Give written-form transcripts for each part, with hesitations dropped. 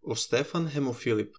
O Stefan hemo Filip.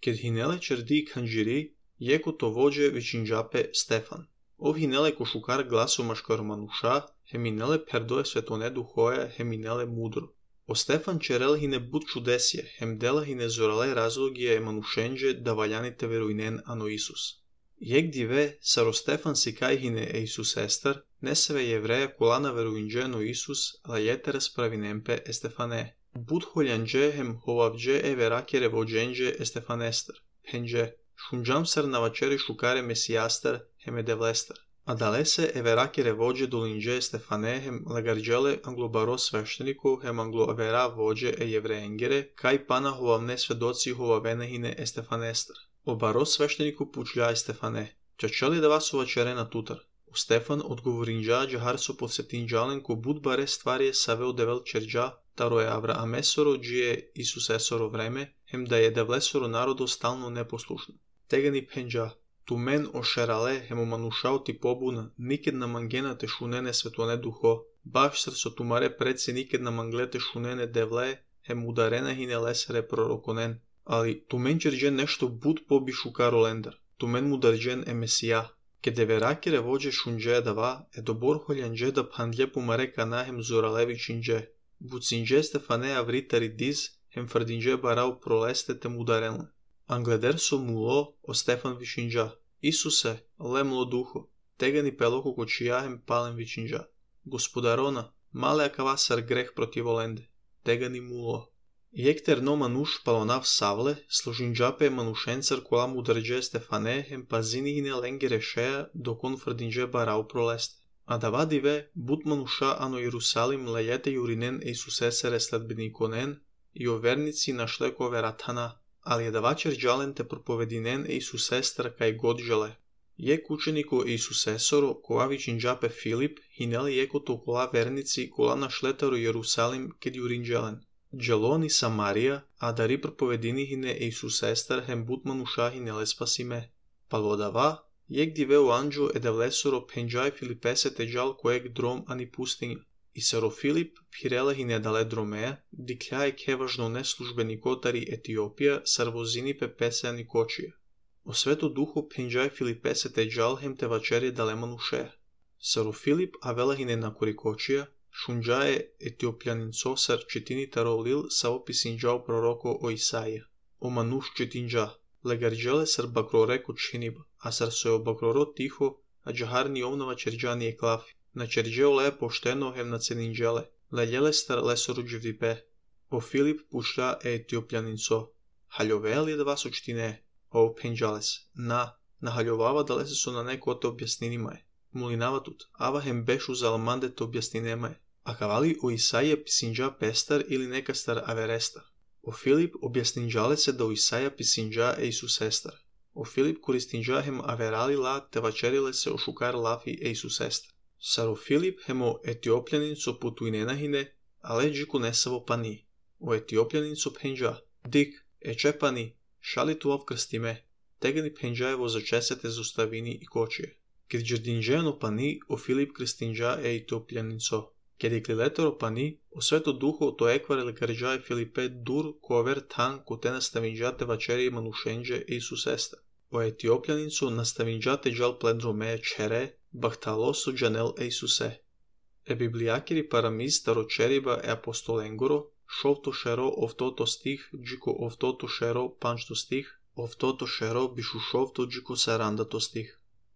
Keď hinele čerdí kanžiri, jeko to vođe vičinđape Stefan. Ov hinele košukar glasu maškar manuša, heminele perdoje svetone duhoja, heminele mudro. O Stefan čerel hine bud čudesje, hemdela hine zorale razlogije emanušenđe da valjanite veruinen ano Isus. Jek dive, saro Stefan sikaj hine Isus ester, neseve jevreja kolana veruinđe ano Isus, la jetere spravinempe Estefane. Bud holjanđe hem hovavđe verakere vođenđe Estefanester. Penđe, šunđam sar navačeri šukare mesijaster hem edevlester. A dalese verakere vođe dolinđe Stefane hem lagarđele anglobaro sveštenikov hem anglovera vođe jevreengere, kaj pana hovavne svedoci hovavenehine Estefanester. Obaro svešteniku pučljaj Stefane. Čačali da vas uvačere na tutar. O Stefan odgovorinđa džahar so povsetinđalen ko bud bare stvarje saveo devel čerđa, taro je Avraamesoro džije Isus esoro vreme, hem da je devlesoro narodo stalno neposlušno. Tegani penđa, tu men ošerale hem omanušao ti pobuna, niked na mangena te šunene svetone duho, baš srso tumare preci niked na manglete šunene devle, hem udarena hine lesere prorokonen. Ali tu men čerđen nešto bud pobi šukaro lendar, tu men mudarđen mesija. Kede verakere vođe šunđe dava, dobor holjanđe da pandlje pumare kanahem zoralevi činđe. Bucinđe Stefane avritari diz, hem fardinđe barau proleste te mudarenle. Angleder so mulo o Stefan vičinđa. Isuse, lemlo duho, tegani peloko kočija hem palem vičinđa. Gospodarona, male akavasar greh protivolende, tegani mulo. Jekter no manuš palonav savle, složinđape manušencar kola mudarđe Stefane hem pazinihine lengere šeja dokon fardinđe barau proleste. A da vadive, bud manuša ano Jerusalim lejete jurinen Isusesere sledbenikonen i o vernici našleko veratana, ali je davačer džalen te propovedinen Isusestra kaj god žele. Jek učeniko Isusesoro, kola vičinđape Filip, hineli jeko to kola vernici kola našletaro Jerusalim ked jurin dželen. Dželoni Samarija, a dari propovedinihine Isusestar hem bud manuša hinele spasime. Palvodava, jek diveo anđo edevlesoro penđaj Filipese teđal kojeg drom ani pustinja. I saro Filip pirele hine dale dromeja, dikljaj kevažno neslužbenikotari Etiopija sarvozini pepese ani kočija. O sveto duho penđaj Filipese teđal hem te vačerje dale manušeja. Saro Filip avela hine na korikočija, šunđaje etiopljanin sosar četini tarolil sa opisinđao proroko o Isaija. O manuš četinđa, legarđele sar bakroreko činiba, a sar sojo bakroro tiho, a džaharni ovnova čerđani je klafi. Na čerđeo le pošteno hem na ceninđele, leljele star lesoru dživdipe. O Filip pušlja etiopljanin so. Haljove li da vas učtine? O penđales, na haljovava da lese so na neko te objasninima je. Mulinava tut, ava hem bešu zalamande te objasninema je. A kavali o Isaija pisinđa pestar ili neka star averestar. O Filip objasninđale se da o Isaija pisinđa Isusestar. O Filip koristinđa hem averali la te vačerile se o šukar lafi Isusestar. Saro Filip hemo etiopljanin so putuinenahine, ale džiku nesavo pani. O etiopljanin so penđa, dik, eče pani, šali tu krstime, tegani penđajevo začesete zostavini i kočije. Kad džerdinđeno pani, o Filip kristinđa etiopljanin so. Kad je kliletoro pani, o sveto duho to ekvare lekarđaje Filipe dur kover tan kote nastavinđate vačeri manušenđe Isusesta. O etiopljanin so nastavinđate džal pledrome čere, bahtaloso džanel Isuse. E bibliakiri paramiz taročeriba apostolengoro, šovto šero ovtoto stih, džiko ovtoto šero pančto stih, ovtoto šero bišu šovto džiko sarandato stih.